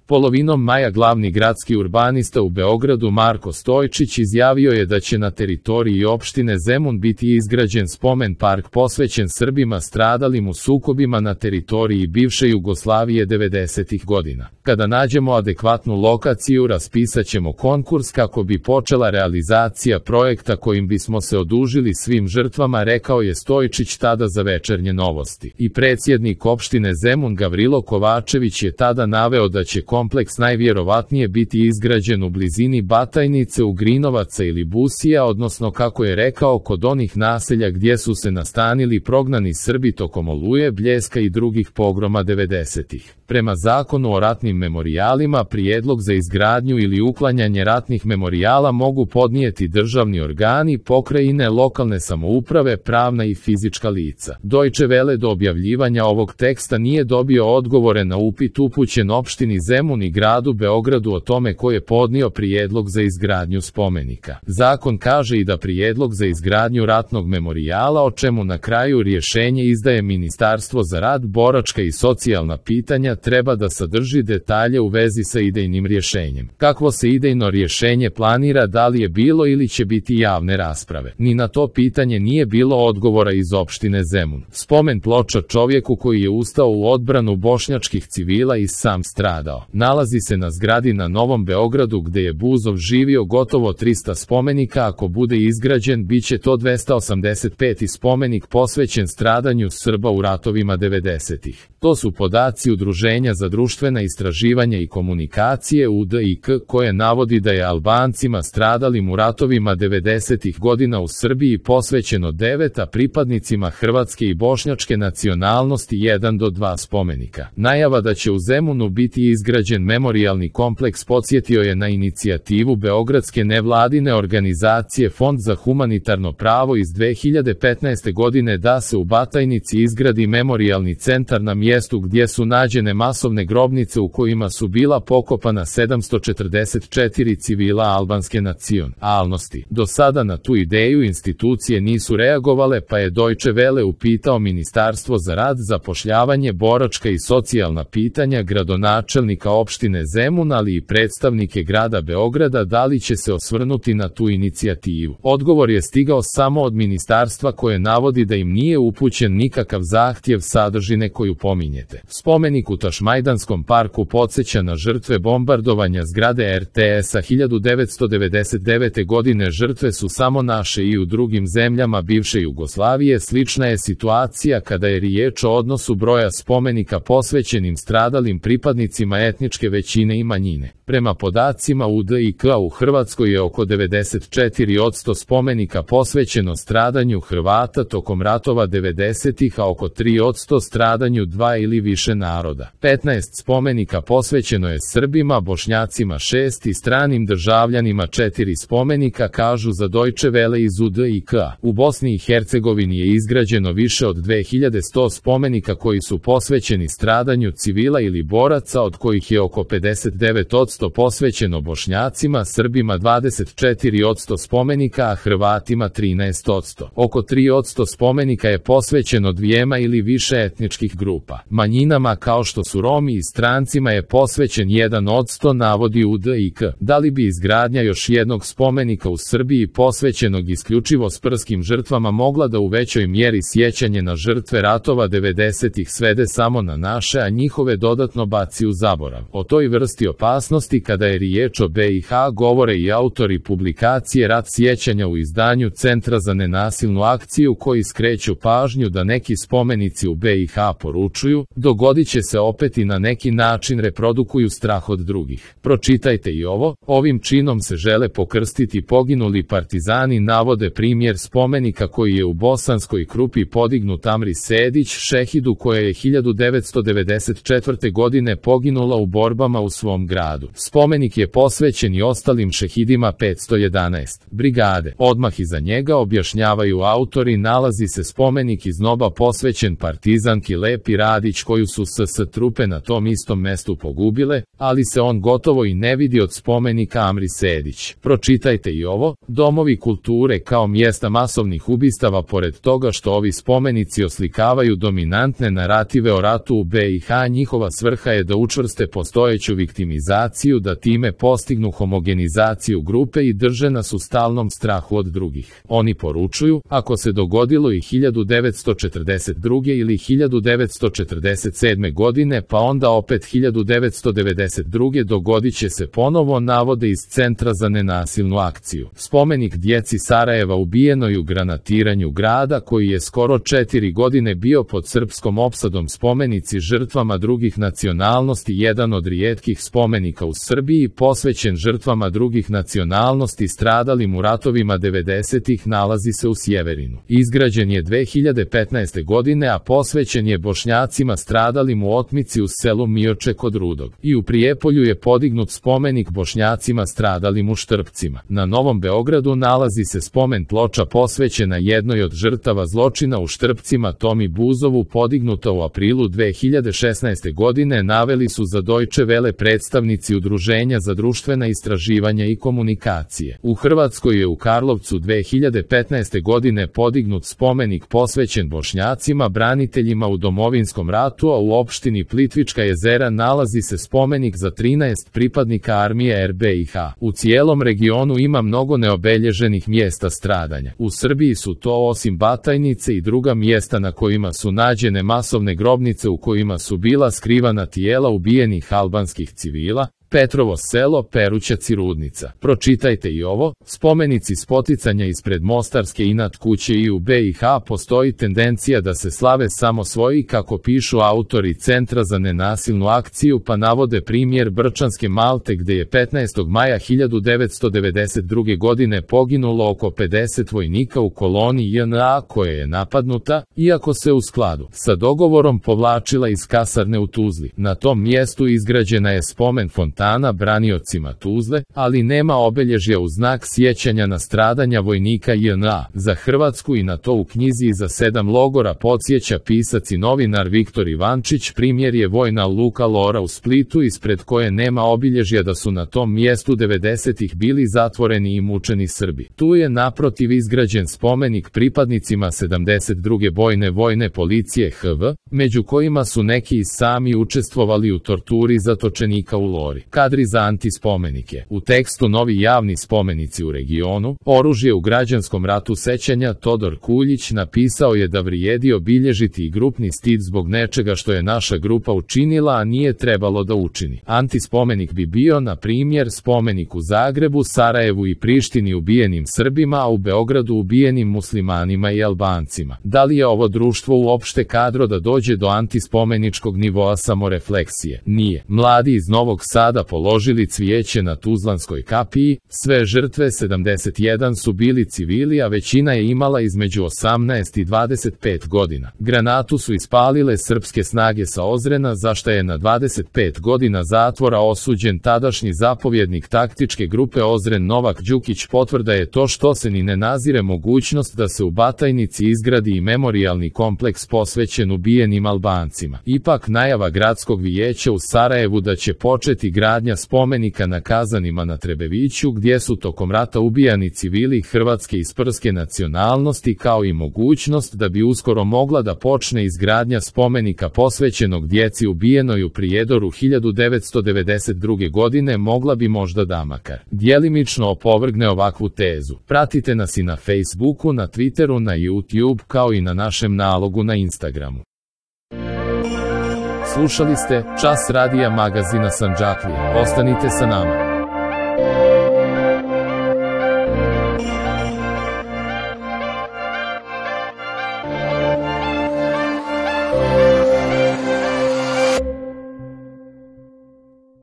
Polovinom maja glavni gradski urbanista u Beogradu Marko Stojčić izjavio je da će na teritoriji opštine Zemun biti izgrađen spomen park posvećen Srbima stradalim u sukobima na teritoriji bivše Jugoslavije 90. godina. Kada nađemo adekvatnu lokaciju, raspisaćemo konkurs kako bi počela realizacija projekta kojim bismo se odužili svim žrtvama, rekao je Stojčić tada za Večernje novosti. I predsjednik opštine Zemun Gavrilo Kovačević je tada naveo da će kompleks najvjerovatnije biti izgrađen u blizini Batajnice, Ugrinovaca ili Busija, odnosno kako je rekao kod onih naselja gdje su se nastanili prognani Srbi tokom Oluje, Bljeska i drugih pogroma 90-ih. Prema Zakonu o ratnim memorijalima, prijedlog za izgradnju ili uklanjanje ratnih memorijala mogu podnijeti državni organi, pokrajine, lokalne samouprave, pravna i fizička lica. Deutsche Welle do objavljivanja ovog teksta nije dobio odgovore na upit upućen opštini Zemun i gradu Beogradu o tome ko je podnio prijedlog za izgradnju spomenika. Zakon kaže i da prijedlog za izgradnju ratnog memorijala, o čemu na kraju rješenje izdaje Ministarstvo za rad, boračka i socijalna pitanja, treba da sadrži detalje u vezi sa idejnim rješenjem. Kakvo se idejno rješenje planira, da li je bilo ili će biti javne rasprave? Ni na to pitanje nije bilo odgovora iz opštine Zemun. Spomen ploča čovjeku koji je ustao u odbranu bošnjačkih civila i sam stradao nalazi se na zgradi na Novom Beogradu gde je Buzov živio. Gotovo 300 spomenika, ako bude izgrađen, biće to 285. spomenik posvećen stradanju Srba u ratovima 90-ih. To su podaci Udruženja za društvena istraživanja i komunikacije UDIK, koje navodi da je Albancima stradalim u ratovima 90-ih godina u Srbiji posvećeno 9, a pripadnicima hrvatske i bošnjačke nacionalnosti 1 do 2 spomenika. Najava da će u Zemunu biti izgrađen memorijalni kompleks podsjetio je na inicijativu beogradske nevladine organizacije Fond za humanitarno pravo iz 2015. godine da se u Batajnici izgradi memorijalni centar na mjestu gdje su nađene masovne grobnice u kojima su bila pokopana 744 civila albanske nacionalnosti. Do sada na tu ideju institucije nisu reagovale, pa je Deutsche Welle upitao Ministarstvo za rad, zapošljavanje, boračka i socijalna pitanja, gradonačelnika opštine Zemun, ali i predstavnike grada Beograda da li će se osvrnuti na tu inicijativu. Odgovor je stigao samo od ministarstva, koje navodi da im nije upućen nikakav zahtjev sadržine koju pominjete. Spomenik u Tašmajdanskom parku podsjeća na žrtve bombardovanja zgrade RTS-a 1999. godine. Žrtve su samo naše i u drugim zemljama bivše Jugoslavije. Slična je situacija kada je riječ o odnosu broja spomenika posvećenim stradalim pripadnicima etničke većine i manjine. Prema podacima UDIK, u Hrvatskoj je oko 94% spomenika posvećeno stradanju Hrvata tokom ratova 90-ih, a oko 3% stradanju 2 ili više naroda. 15 spomenika posvećeno je Srbima, Bošnjacima 6 i stranim državljanima 4 spomenika, kažu za Deutsche Welle iz UDIK. U Bosni i Hercegovini je izgrađeno više od 2100 spomenika koji su posvećeni stradanju civila ili boraca, od kojih je oko 59% posvećeno Bošnjacima, Srbima 24% spomenika, a Hrvatima 13%. Oko 3% spomenika je posvećeno dvijema ili više etničkih grupa. Manjinama kao što su Romi i strancima je posvećen 1%, navodi UDIK. Da li bi izgradnja još jednog spomenika u Srbiji posvećenog isključivo sprskim žrtvama mogla da u većoj mjeri sjećanje na žrtve ratova 90-ih svede samo na naše, a njihove dodatno baci u zaborav? O toj vrsti opasnosti kada je riječ o BiH govore i autori publikacije Rat sjećanja u izdanju Centra za nenasilnu akciju, koji skreću pažnju da neki spomenici u BiH poručuju, dogodit će se opet i na neki način reprodukuju strah od drugih. Pročitajte i ovo. Ovim činom se žele pokrstiti poginuli partizani, navode primjer spomenika koji je u Bosanskoj Krupi podignut Amri Sedić, šehidu koja je 1994. godine poginula u borbama u svom gradu. Spomenik je posvećen i ostalim šehidima 511. brigade. Odmah iza njega, objašnjavaju autori, nalazi se spomenik iz Noba posvećen partizanki Lepi Radić koju su SS trupe na tom istom mestu pogubile, ali se on gotovo i ne vidi od spomenika Amri Sedić. Pročitajte i ovo, domovi kulture kao mjesta masovnih ubistava. Pored toga što ovi spomenici oslikavaju dominantne narative o ratu u BiH, njihova svrha je da učvrste postojeću viktimizaciju, da time postignu homogenizaciju grupe i drže nas u stalnom strahu od drugih. Oni poručuju, ako se dogodilo i 1942. ili 1947. godine, pa onda opet 1992. dogodit će se ponovo, navode iz Centra za nenasilnu akciju. Spomenik djeci Sarajeva ubijenoj u granatiranju grada, koji je skoro 4 godine bio pod srpskom opsadom. Spomenici žrtvama drugih nacionalnosti, jedan od rijetkih spomenika u Srbiji posvećen žrtvama drugih nacionalnosti stradalim u ratovima 90-ih, nalazi se u Sjeverinu. Izgrađen je 2015. godine, a posvećen je Bošnjacima stradalim u otmici u selu Mioče kod Rudog. I u Prijepolju je podignut spomenik Bošnjacima stradalim u Štrpcima. Na Novom Beogradu nalazi se spomen ploča posvećena jednoj od žrtava zločina u Štrpcima, Tomi Buzovu, podignuta u aprilu 2016. godine, naveli su za Deutsche Welle predstavnici Udruženja za društvena istraživanja i komunikacije. U Hrvatskoj je u Karlovcu 2015. godine podignut spomenik posvećen Bošnjacima braniteljima u Domovinskom ratu, a u opštini Plitvička jezera nalazi se spomenik za 13 pripadnika armije RBiH. U cijelom regionu ima mnogo neobelježenih mjesta stradanja. U Srbiji su to, osim Batajnice, i druga mjesta na kojima su nađene masovne grobnice u kojima su bila skrivana tijela ubijenih albanskih civila, Petrovo selo, Perućac i Rudnica. Pročitajte i ovo, spomenici spoticanja ispred Mostarske inat kuće. I u BiH postoji tendencija da se slave samo svoji, kako pišu autori Centra za nenasilnu akciju, pa navode primjer Brčanske Malte gdje je 15. maja 1992. godine poginulo oko 50 vojnika u koloni JNA koja je napadnuta, iako se u skladu sa dogovorom povlačila iz kasarne u Tuzli. Na tom mjestu izgrađena je spomen fontana braniocima Tuzle, ali nema obilježja u znak sjećanja na stradanja vojnika JNA. Za Hrvatsku i na to u knjizi Iza 7 logora podsjeća pisac i novinar Viktor Ivančić. Primjer je vojna luka Lora u Splitu, ispred koje nema obilježja da su na tom mjestu 90-ih bili zatvoreni i mučeni Srbi. Tu je naprotiv izgrađen spomenik pripadnicima 72. vojne policije HV, među kojima su neki i sami učestvovali u torturi zatočenika u Lori. Kadri za antispomenike. U tekstu Novi javni spomenici u regionu, oružje u građanskom ratu sećanja, Todor Kuljić napisao je da vrijedi obilježiti i grupni stid zbog nečega što je naša grupa učinila, a nije trebalo da učini. Antispomenik bi bio, na primjer, spomenik u Zagrebu, Sarajevu i Prištini ubijenim Srbima, a u Beogradu ubijenim muslimanima i Albancima. Da li je ovo društvo uopšte kadro da dođe do antispomeničkog nivoa samorefleksije? Nije. Mladi iz Novog Sada položili cvijeće na Tuzlanskoj kapiji, sve žrtve 71 su bili civili, a većina je imala između 18 i 25 godina. Granatu su ispalile srpske snage sa Ozrena, za šta je na 25 godina zatvora osuđen tadašnji zapovjednik taktičke grupe Ozren Novak Đukić. Potvrda je to što se ni ne nazire mogućnost da se u Batajnici izgradi i memorijalni kompleks posvećen ubijenim Albancima. Ipak najava gradskog vijeća u Sarajevu da će početi gradnja spomenika na Kazanima na Trebeviću, gdje su tokom rata ubijani civili hrvatske i sprske nacionalnosti, kao i mogućnost da bi uskoro mogla da počne izgradnja spomenika posvećenog djeci ubijenoj u Prijedoru 1992. godine, mogla bi možda da makar djelimično opovrgne ovakvu tezu. Pratite nas i na Facebooku, na Twitteru, na YouTube, kao i na našem nalogu na Instagramu. Slušali ste Čas radija magazina Sandžaklija. Ostanite sa nama.